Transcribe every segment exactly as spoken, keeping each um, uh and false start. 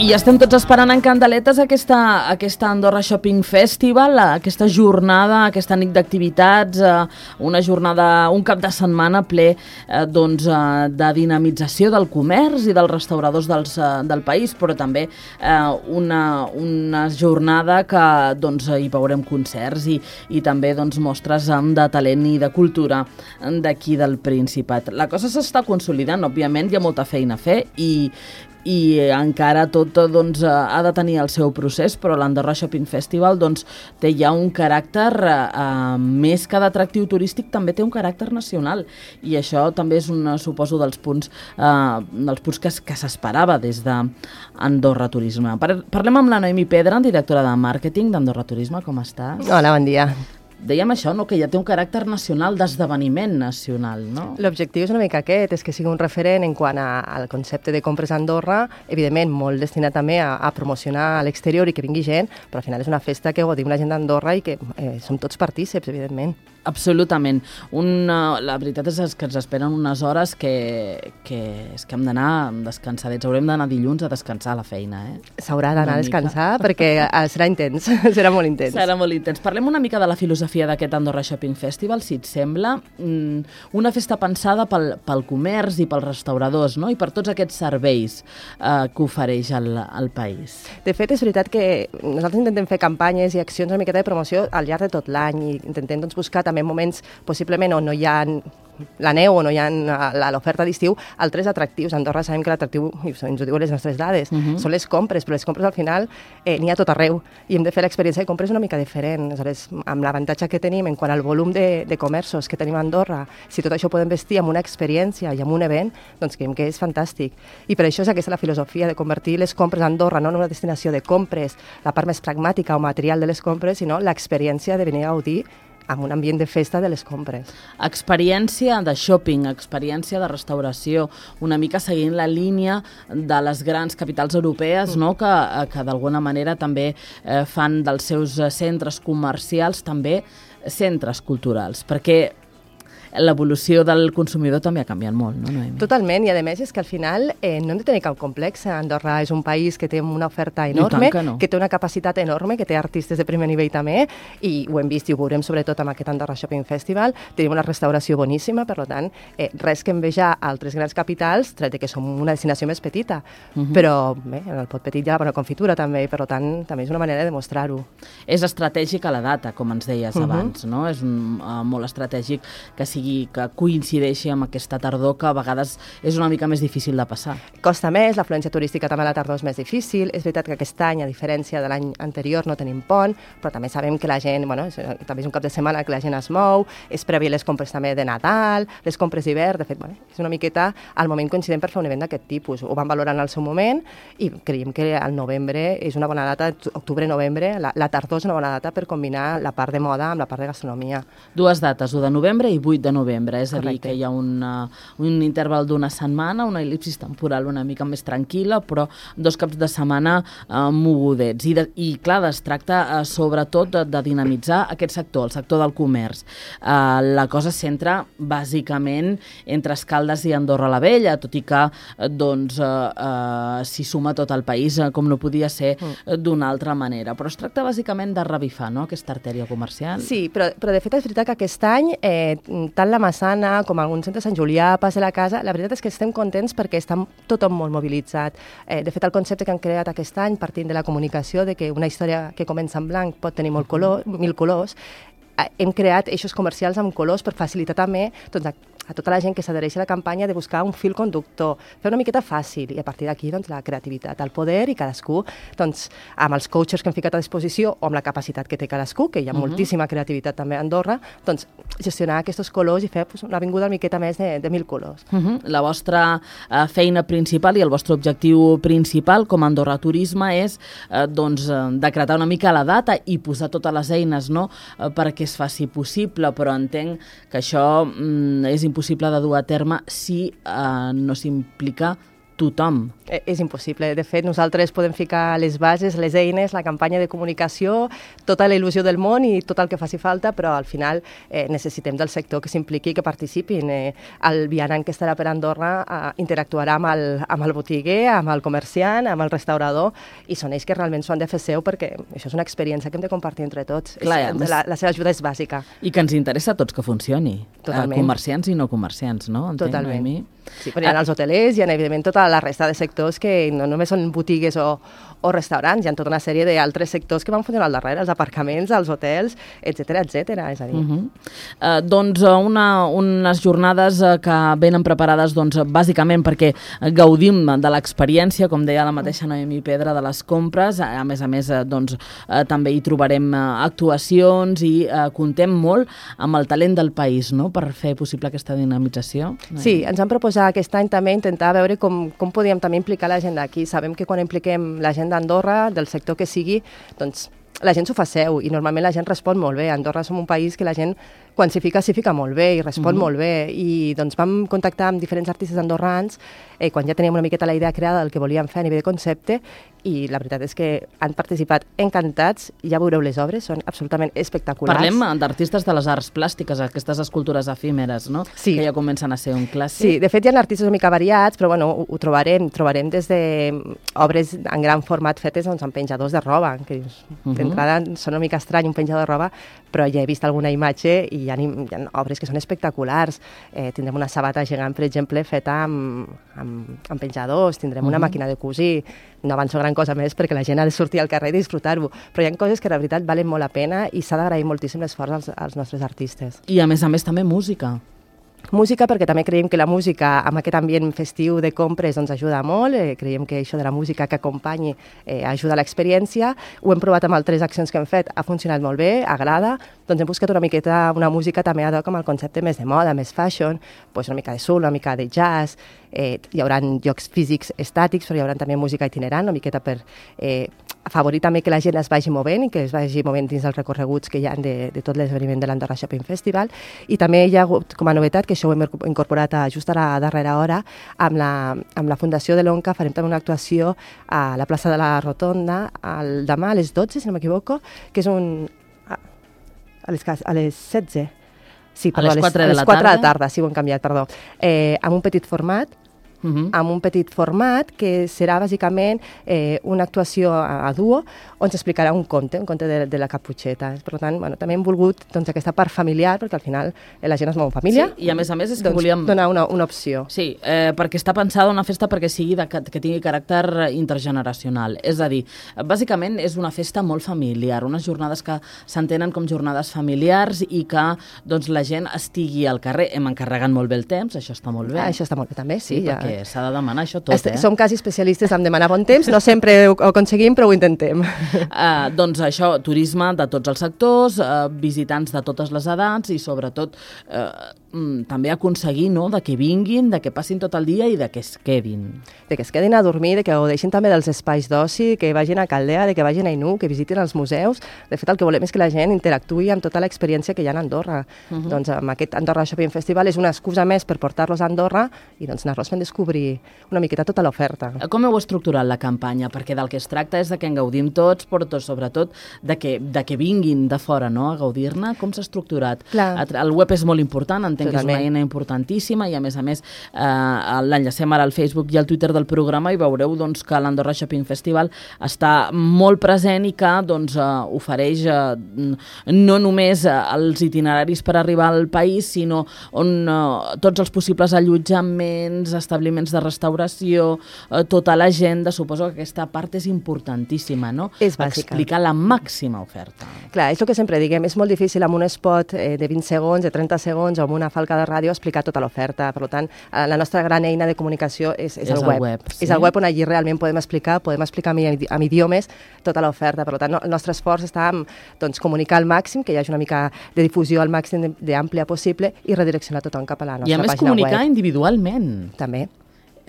I estem tots esperant en candeletes aquesta, aquesta Andorra Shopping Festival, aquesta jornada, aquesta nit d'activitats, una jornada, un cap de setmana ple doncs, de dinamització del comerç i dels restauradors dels, del país, però també una, una jornada que doncs, hi veurem concerts i, i també doncs, mostres de talent i de cultura d'aquí del Principat. La cosa s'està consolidant, òbviament, hi ha molta feina a fer i i encara tot doncs, ha de tenir el seu procés, però l'Andorra Shopping Festival doncs, té ja un caràcter, eh, més que d'atractiu turístic, també té un caràcter nacional, i això també és un, suposo, dels punts, eh, dels punts que, que s'esperava des d'Andorra Turisme. Parlem amb la Noemi Pedra, directora de màrqueting d'Andorra Turisme. Com estàs? Hola, bon dia. Dèiem això, no? Que ja té un caràcter nacional, d'esdeveniment nacional, no? L'objectiu és una mica aquest, és que sigui un referent en quant a, al concepte de compres a Andorra, evidentment molt destinat també a, a promocionar a l'exterior i que vingui gent, però al final és una festa que gaudim la gent d'Andorra i que eh, som tots partíceps, evidentment. Absolutament. Una, la veritat és que ens esperen unes hores que, que, és que hem d'anar descansadets. Haurem d'anar dilluns a descansar a la feina. Eh? S'haurà d'anar a descansar perquè serà intens, serà molt intens. Serà molt intens. Parlem una mica de la filosofia d'aquest Andorra Shopping Festival, si et sembla. Una festa pensada pel, pel comerç i pels restauradors, no? I per tots aquests serveis eh, que ofereix el, el país. De fet, és veritat que nosaltres intentem fer campanyes i accions una miqueta de promoció al llarg de tot l'any i intentem doncs, buscar també moments possiblement on no hi ha la neu o no hi ha l'oferta d'estiu, altres atractius. A Andorra sabem que l'atractiu, i ens ho diuen les nostres dades, uh -huh. són les compres, però les compres al final eh, n'hi ha tot arreu i hem de fer l'experiència de compres una mica diferent. Aleshores, amb l'avantatge que tenim en quant al volum de, de comerços que tenim a Andorra, si tot això ho podem vestir amb una experiència i amb un event, doncs creiem que és fantàstic. I per això és aquesta la filosofia de convertir les compres a Andorra no en una destinació de compres, la part més pragmàtica o material de les compres, sinó l'experiència de venir a gaudir amb un ambient de festa de les compres. Experiència de shopping, experiència de restauració, una mica seguint la línia de les grans capitals europees, no? que, que d'alguna manera també eh, fan dels seus centres comercials també centres culturals, perquè l'evolució del consumidor també ha canviat molt, no, Noemi? Totalment, i a més és que al final eh, no hem de tenir cap complex. Andorra és un país que té una oferta enorme, que, no. que té una capacitat enorme, que té artistes de primer nivell també, i ho hem vist i ho veurem sobretot amb aquest Andorra Shopping Festival. Tenim una restauració boníssima, per tant, eh, res que envejar altres grans capitals, tret de que som una destinació més petita, uh -huh. però bé, en el pot petit hi ha la bona confitura també, i per tant també és una manera de mostrar-ho. És estratègica la data, com ens deies uh -huh. abans, no? És un, uh, molt estratègic que sigui que coincideixi amb aquesta tardor que a vegades és una mica més difícil de passar. Costa més, l'afluència turística també a la tardor és més difícil. És veritat que aquest any, a diferència de l'any anterior, no tenim pont, però també sabem que la gent, bueno, és, també és un cap de setmana que la gent es mou, és previ les compres també de Nadal, les compres d'hivern, de fet, bueno, és una miqueta al moment coincident per fer un event d'aquest tipus. Ho vam valorar en el seu moment i creiem que al novembre és una bona data, octubre-novembre, la, la tardor és una bona data per combinar la part de moda amb la part de gastronomia. Dues dates, u de novembre i vuit de novembre, és a Correcte. dir, que hi ha una, un interval d'una setmana, una el·lipsis temporal una mica més tranquil·la, però dos caps de setmana eh, mogudets. I, de, I clar, es tracta eh, sobretot de, de dinamitzar aquest sector, el sector del comerç. Eh, la cosa es centra bàsicament entre Escaldes i Andorra la Vella, tot i que eh, doncs, eh, eh, s'hi suma tot el país, eh, com no podia ser eh, d'una altra manera. Però es tracta bàsicament de revifar, no?, aquesta artèria comercial. Sí, però, però de fet és veritat que aquest any eh, tant la Massana com alguns centres Sant Julià, Pas de la Casa, la veritat és que estem contents perquè està tothom molt mobilitzat. Eh, de fet, el concepte que han creat aquest any, partint de la comunicació, de que una història que comença en blanc pot tenir molt color, mil colors, eh, hem creat eixos comercials amb colors per facilitar també doncs, a, a tota la gent que s'adhereix a la campanya de buscar un fil conductor, fer una miqueta fàcil, i a partir d'aquí doncs, la creativitat, el poder, i cadascú, doncs, amb els coaches que hem ficat a disposició o amb la capacitat que té cadascú, que hi ha uh -huh. moltíssima creativitat també a Andorra, doncs gestionar aquests colors i fer pues, una avinguda una miqueta més de, de mil colors. Uh -huh. La vostra uh, feina principal i el vostre objectiu principal com a Andorra Turisme és uh, doncs, uh, decretar una mica la data i posar totes les eines, no?, uh, perquè es faci possible, però entenc que això um, és impossible de dur a terme si uh, no s'implica tothom. Eh, és impossible. De fet, nosaltres podem ficar les bases, les eines, la campanya de comunicació, tota la il·lusió del món i tot el que faci falta, però al final eh, necessitem del sector que s'impliqui, que participin. Eh, el vianant que estarà per Andorra eh, interactuarà amb el, amb el botiguer, amb el comerciant, amb el restaurador, i són ells que realment s'ho han de fer seu, perquè això és una experiència que hem de compartir entre tots. Clar, és, més... la, la seva ajuda és bàsica. I que ens interessa a tots que funcioni. Totalment. Eh, comerciants i no comerciants, no? Entenc, Totalment. Noemí? Sí, però hi ha els hotelers, hi ha evidentment tota la resta de sectors que no només són botigues o, o restaurants, hi ha tota una sèrie d'altres sectors que van funcionar al darrere, els aparcaments, els hotels, etcètera, etcètera. És a dir... Uh -huh. uh, doncs una, unes jornades uh, que venen preparades doncs, bàsicament perquè gaudim de l'experiència, com deia la mateixa Noemí Pedra, de les compres. A més a més, uh, doncs, uh, també hi trobarem uh, actuacions i uh, contem molt amb el talent del país, no?, per fer possible aquesta dinamització. Sí, ens han proposat aquest any també intentar veure com, com podíem també implicar la gent d'aquí. Sabem que quan impliquem la gent d'Andorra, del sector que sigui, doncs la gent s'ho fa seu i normalment la gent respon molt bé. A Andorra som un país que la gent, quan s'hi fica, s'hi fica molt bé i respon mm-hmm. molt bé. I doncs vam contactar amb diferents artistes andorrans eh, quan ja teníem una miqueta la idea creada del que volíem fer a nivell de concepte, i la veritat és que han participat encantats. Ja veureu les obres, són absolutament espectaculars. Parlem d'artistes de les arts plàstiques, aquestes escultures efímeres, no? Sí. Que ja comencen a ser un clàssic. Sí, de fet hi ha artistes una mica variats, però bueno, ho, ho trobarem. Trobarem des de obres en gran format fetes doncs, amb penjadors de roba, que uh-huh. d'entrada són una mica estrany un penjador de roba, però ja he vist alguna imatge i hi ha, hi ha obres que són espectaculars. Eh, tindrem una sabata gegant, per exemple, feta amb, amb, amb penjadors, tindrem uh-huh. una màquina de cosir. No avanço gran cosa més perquè la gent ha de sortir al carrer i disfrutar-ho, però hi ha coses que la veritat valen molt la pena i s'ha d'agrair moltíssim l'esforç als, als nostres artistes. I a més a més també música. Música, perquè també creiem que la música amb aquest ambient festiu de compres doncs ajuda molt, eh, creiem que això de la música que acompanyi eh, ajuda a l'experiència. Ho hem provat amb altres accions que hem fet, ha funcionat molt bé, agrada, doncs hem buscat una miqueta una música també ad hoc amb el concepte més de moda, més fashion, doncs una mica de soul, una mica de jazz, eh, hi haurà llocs físics estàtics, però hi haurà també música itinerant, una miqueta per eh, afavorir també que la gent es vagi movent i que es vagi movent dins dels recorreguts que hi ha de, de tot l'esdeveniment de l'Andorra Shopping Festival. I també hi ha hagut com a novetat, que això ho hem incorporat a, just a la darrera hora, amb la, amb la Fundació de l'Onca farem també una actuació a la plaça de la Rotonda el demà a les dotze, si no m'equivoco, que és un... a, a, les, a les setze. Sí, perdó, a les quatre de, a les la quatre tarda? de la tarda, sí, ho hem canviat, perdó. Eh, amb un petit format, Uh-huh. amb un petit format que serà bàsicament eh, una actuació a, a duo on s'explicarà un conte, un conte de, de la Caputxeta. Per tant, bueno, també hem volgut doncs, aquesta part familiar, perquè al final eh, la gent es mou en família. Sí, i a més a més és que doncs, volíem... donar una, una opció. Sí, eh, perquè està pensada una festa perquè sigui de, que tingui caràcter intergeneracional. És a dir, bàsicament és una festa molt familiar, unes jornades que s'entenen com jornades familiars i que doncs, la gent estigui al carrer. Hem encarregat molt bé el temps, això està molt bé. Ah, això està molt bé també, sí. sí ja. Perquè s'ha de demanar això tot, Est- eh? Som quasi especialistes en demanar bon temps, no sempre ho aconseguim, però ho intentem. Uh, doncs això, turisme de tots els sectors, uh, visitants de totes les edats i sobretot uh, mm, també aconseguir no, de que vinguin, de que passin tot el dia i de que es quedin. De que es quedin a dormir, de que gaudeixin també dels espais d'oci, que vagin a Caldea, de que vagin a Inú, que visitin els museus. De fet, el que volem és que la gent interactuï amb tota l'experiència que hi ha a Andorra. Uh-huh. Doncs amb aquest Andorra Shopping Festival és una excusa més per portar-los a Andorra i doncs anar-los fent descobrir una miqueta tota l'oferta. Com heu estructurat la campanya? Perquè del que es tracta és de que en gaudim tots, però tot, sobretot de que, de que vinguin de fora no, a gaudir-ne. Com s'ha estructurat? Clar. El web és molt important, entenc Totalment. que és una eina importantíssima i a més a més eh, l'enllacem ara al Facebook i al Twitter del programa i veureu doncs, que l'Andorra Shopping Festival està molt present i que doncs, eh, ofereix eh, no només eh, els itineraris per arribar al país, sinó on eh, tots els possibles allotjaments, establiments de restauració, eh, tota l'agenda. Suposo que aquesta part és importantíssima, no? És bàsica. Explicar la màxima oferta. Clar, és el que sempre diguem, és molt difícil amb un spot eh, de vint segons, de trenta segons o amb una falca de ràdio explicar tota l'oferta. Per tant, eh, la nostra gran eina de comunicació és, és, És el el web. web, sí. És el web on allí realment podem explicar, podem explicar amb, amb idiomes tota l'oferta. Per tant, no, el nostre esforç està en doncs, comunicar al màxim, que hi hagi una mica de difusió al màxim d'àmplia possible i redireccionar tothom cap a la nostra I a més pàgina comunicar web. individualment. També.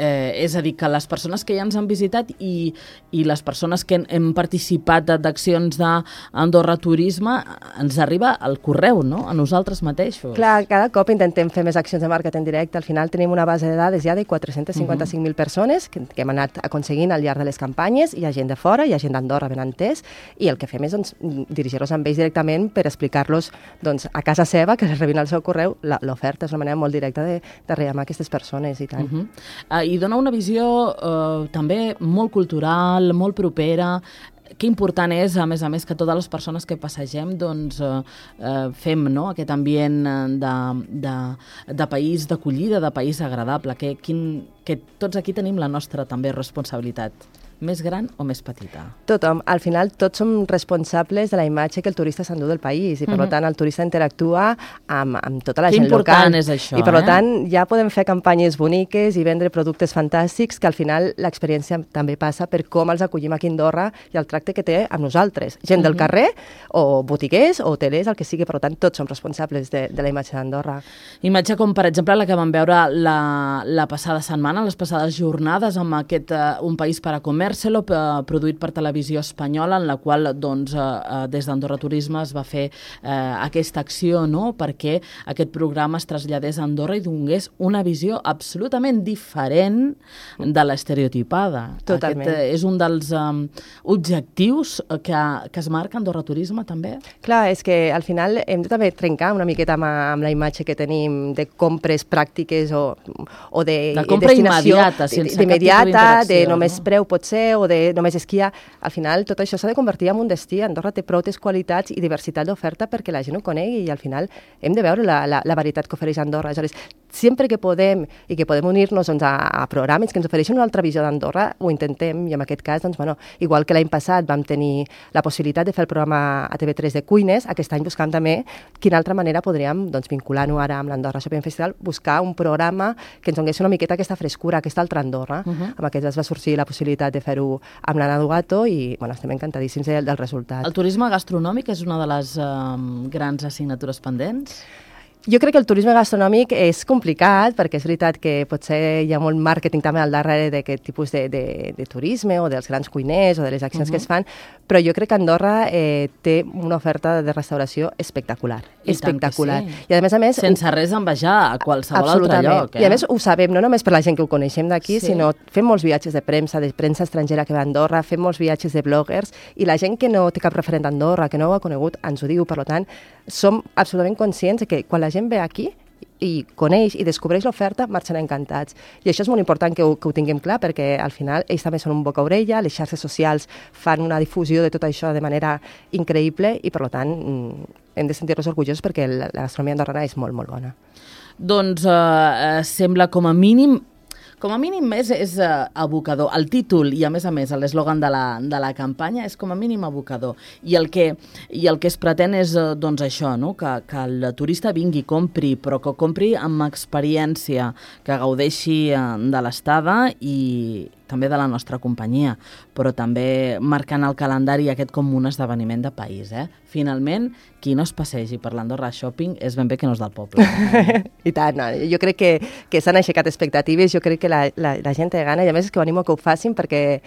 Eh, és a dir, que les persones que ja ens han visitat i, i les persones que hem participat d'accions d'Andorra Turisme, ens arriba al correu, no?, a nosaltres mateixos. Clar, cada cop intentem fer més accions de màrqueting directe. Al final tenim una base de dades ja de quatre-cents cinquanta-cinc mil uh -huh. persones que, que hem anat aconseguint al llarg de les campanyes. Hi ha gent de fora, hi ha gent d'Andorra ben entès, i el que fem és doncs, dirigir-los amb ells directament per explicar-los doncs, a casa seva, que rebin al seu correu, l'oferta. És una manera molt directa de, de reamar aquestes persones i tant. Uh -huh. uh, I dona una visió uh, també molt cultural, molt propera. Que important és, a més a més, que totes les persones que passegem doncs, eh, eh, fem, no?, aquest ambient de, de, de país d'acollida, de país agradable, que, quin, que tots aquí tenim la nostra també responsabilitat. Més gran o més petita? Tothom. Al final, tots som responsables de la imatge que el turista s'endú del país i, per uh -huh. tant, el turista interactua amb, amb tota la que gent local. Que important és això, I, per eh? tant, ja podem fer campanyes boniques i vendre productes fantàstics, que al final l'experiència també passa per com els acollim aquí a Andorra i el tracte que té amb nosaltres. Gent uh -huh. del carrer, o botiguers, o hotelers, el que sigui. Per tant, tots som responsables de, de la imatge d'Andorra. Imatge com, per exemple, la que vam veure la, la passada setmana, les passades jornades, amb aquest uh, Un país per a comer, produït per Televisió Espanyola, en la qual doncs, eh, des d'Andorra Turisme es va fer eh, aquesta acció, no?, perquè aquest programa es traslladés a Andorra i donés una visió absolutament diferent de l'estereotipada. Totalment. Aquest eh, és un dels um, objectius que, que es marca Andorra Turisme, també. Clar, és que al final hem de també trencar una miqueta amb, amb la imatge que tenim de compres pràctiques o, o de, de compra immediata, sense cap tipus d'interacció, de només no? preu potser, o de només esquiar. Al final, tot això s'ha de convertir en un destí. Andorra té prou qualitats i diversitat d'oferta perquè la gent ho conegui, i al final hem de veure la, la, la varietat que ofereix Andorra. Aleshores, sempre que podem i que podem unir-nos doncs, a, a programes que ens ofereixen una altra visió d'Andorra, ho intentem, i en aquest cas, doncs, bueno, igual que l'any passat vam tenir la possibilitat de fer el programa a T V tres de cuines, aquest any buscant també quina altra manera podríem, doncs, vinculant-ho ara amb l'Andorra Shopping Festival, buscar un programa que ens donés una miqueta aquesta frescura, aquesta altra Andorra. Uh -huh. Amb aquest es va sorgir la possibilitat de fer-ho amb l'Anna Dugato i, bueno, estem encantadíssims del, del resultat. El turisme gastronòmic és una de les um, grans assignatures pendents? Jo crec que el turisme gastronòmic és complicat, perquè és veritat que potser hi ha molt màrqueting també al darrere d'aquest tipus de, de, de turisme o dels grans cuiners o de les accions uh -huh. que es fan, però jo crec que Andorra eh, té una oferta de restauració espectacular. I espectacular. Sí. I a més a més... Sense res a envejar a qualsevol altre lloc. Eh? I a més ho sabem, no només per la gent que ho coneixem d'aquí, sí. sinó fem molts viatges de premsa, de premsa estrangera que va a Andorra, fem molts viatges de bloggers, i la gent que no té cap referent d'Andorra, que no ho ha conegut, ens ho diu. Per tant, som absolutament conscients que quan la gent ve aquí i coneix i descobreix l'oferta, marxen encantats. I això és molt important que ho, que ho tinguem clar, perquè al final ells també són un boca-orella, les xarxes socials fan una difusió de tot això de manera increïble i, per tant, hem de sentir-nos orgullosos perquè la, la gastronomia andorrana és molt, molt bona. Doncs eh, sembla com a mínim Com a mínim és, és uh, abocador. El títol i, a més a més, l'eslògan de, la, de la campanya és com a mínim abocador. I el que, i el que es pretén és uh, doncs això, no? que, que el turista vingui, compri, però que compri amb experiència, que gaudeixi uh, de l'estada i també de la nostra companyia, però també marcant el calendari aquest com un esdeveniment de país. Eh? Finalment, qui no es passegi per l'Andorra Shopping és ben bé que no és del poble. I tant, no? Jo crec que, que s'han aixecat expectatives, jo crec que la, la, la gent té gana, i a més és que ho animo que ho facin perquè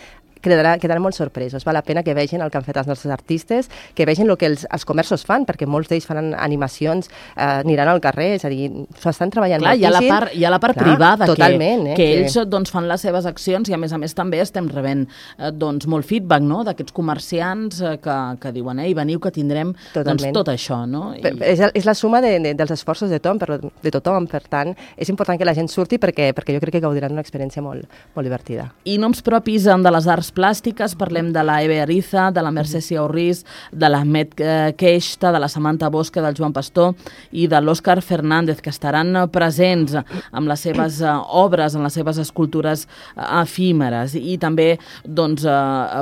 quedaran, quedaran molt sorpresos. Val la pena que vegin el que han fet els nostres artistes, que vegin el que els, els comerços fan, perquè molts d'ells fan animacions, eh, aniran al carrer, és a dir, s'ho estan treballant Clar, moltíssim. Hi ha la part, hi ha la part Clar, privada, totalment, que, eh, que que ells doncs, fan les seves accions i, a més a més, també estem rebent eh, doncs, molt feedback, no?, d'aquests comerciants eh, que, que diuen, ei, veniu que tindrem doncs, tot això. No? I... És, és la suma de, de, dels esforços de tothom, per, de tothom, per tant, és important que la gent surti perquè, perquè jo crec que gaudiran d'una experiència molt, molt divertida. I noms propis de les arts plàstiques, parlem de la Eve Ariza, de la Mercè Siaurris, de l'Ahmed Queixta, de la Samantha Bosque, del Joan Pastor i de l'Òscar Fernández, que estaran presents amb les seves obres, amb les seves escultures efímeres. I també doncs,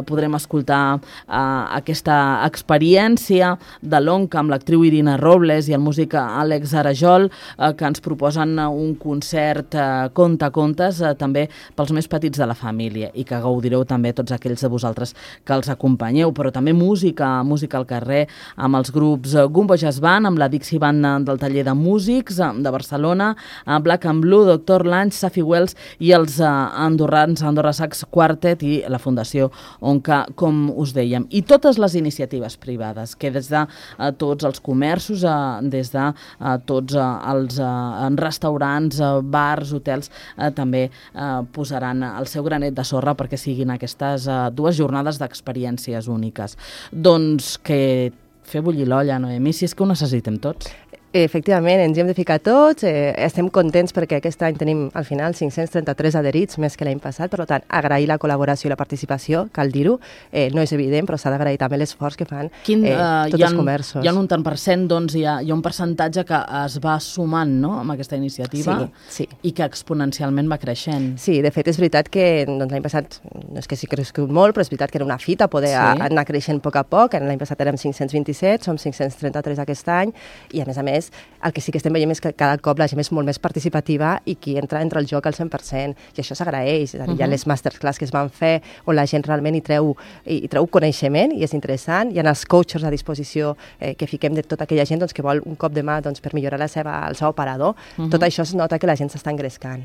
podrem escoltar aquesta experiència de l'Onca amb l'actriu Irina Robles i el músic Àlex Arajol, que ens proposen un concert conta contes també pels més petits de la família i que gaudireu també tots tots aquells de vosaltres que els acompanyeu, però també música, música al carrer, amb els grups Gumbo Jazz Band, amb la Dixie Band del taller de músics de Barcelona, Black and Blue, Doctor Lunch, Safi Wells i els andorrans Andorra Sax Quartet i la Fundació Onca, com us dèiem. I totes les iniciatives privades, que des de uh, tots els comerços, uh, des de uh, tots uh, els uh, restaurants, uh, bars, hotels, uh, també uh, posaran el seu granet de sorra perquè siguin aquestes uh, dues jornades d'experiències úniques. Doncs que fer bullir l'olla, Noemí, si és que ho necessitem tots. Efectivament, ens hi hem de ficar tots, eh, estem contents perquè aquest any tenim al final cinc-cents trenta-tres adherits, més que l'any passat, per tant, agrair la col·laboració i la participació, cal dir-ho, eh, no és evident, però s'ha d'agrair també l'esforç que fan Quin, eh, uh, tots ha, els comerços. Hi ha un tant per cent, doncs hi ha, hi ha un percentatge que es va sumant, no?, amb aquesta iniciativa, sí, sí. I que exponencialment va creixent. Sí, de fet és veritat que doncs, l'any passat, no és que sí que ha crescut molt, però és veritat que era una fita poder sí. anar creixent a poc a poc, l'any passat érem cinc-cents vint-i-set, som cinc-cents trenta-tres aquest any, i a més a més, el que sí que estem veient és que cada cop la gent és molt més participativa i qui entra entra al joc al cent per cent, i això s'agraeix. És a dir, uh -huh. Hi ha les masterclass que es van fer on la gent realment hi treu, hi treu coneixement i és interessant. Hi ha els coaches a disposició eh, que fiquem de tota aquella gent doncs, que vol un cop de mà doncs, per millorar la seva, el seu operador. Uh -huh. Tot això es nota que la gent s'està engrescant.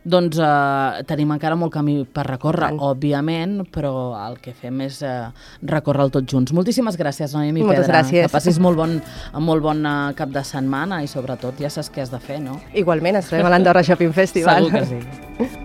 Doncs eh, tenim encara molt camí per recórrer, Tant. òbviament, però el que fem és eh, recórrer-lo tots junts. Moltíssimes gràcies, Noemí Pedra. Moltes gràcies. Que passis molt bon, molt bon cap de setmana i sobretot ja saps què has de fer, no? Igualment, ens trobem a l'Andorra Shopping Festival. Segur que sí.